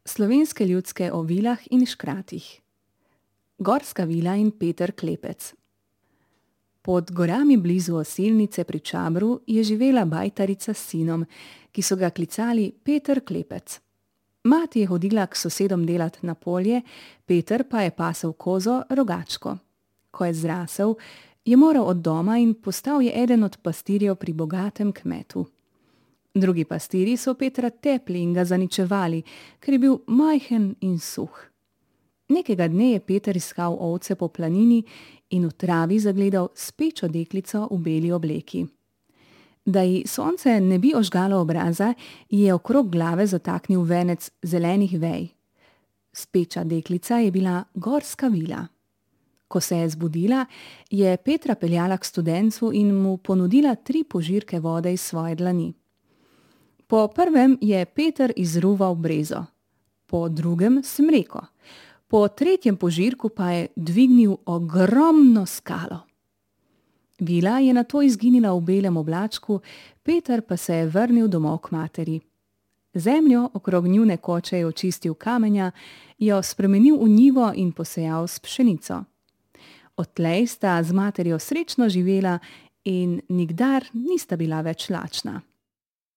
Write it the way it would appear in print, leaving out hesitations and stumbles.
Slovenske ljudske o vilah in škratih. Gorska vila in Peter Klepec. Pod gorami blizu Osilnice pri Čabru je živela bajtarica s sinom, ki so ga klicali Peter Klepec. Mati je hodila k sosedom delat na polje, Peter pa je pasel kozo Rogačko. Ko je zrasel, je moral od doma in postal je eden od pastirjev pri bogatem kmetu. Drugi pastirji so Petra tepli in ga zaničevali, ker je bil majhen in suh. Nekega dne je Peter iskal ovce po planini in v travi zagledal spečo deklico v beli obleki. Da ji sonce ne bi ožgalo obraza, je okrog glave zataknil venec zelenih vej. Speča deklica je bila Gorska vila. Ko se je zbudila, je Petra peljala k studencu in mu ponudila 3 požirke vode iz svoje dlani. Po prvem je Peter izruval brezo, po drugem smreko, po tretjem požirku pa je dvignil ogromno skalo. Vila je nato izginila v belem oblačku, Peter pa se je vrnil domov k materi. Zemljo okrog njune koče je očistil kamenja, jo spremenil v njivo in posejal s pšenico. Odtlej sta z materjo srečno živela in nikdar nista bila več lačna.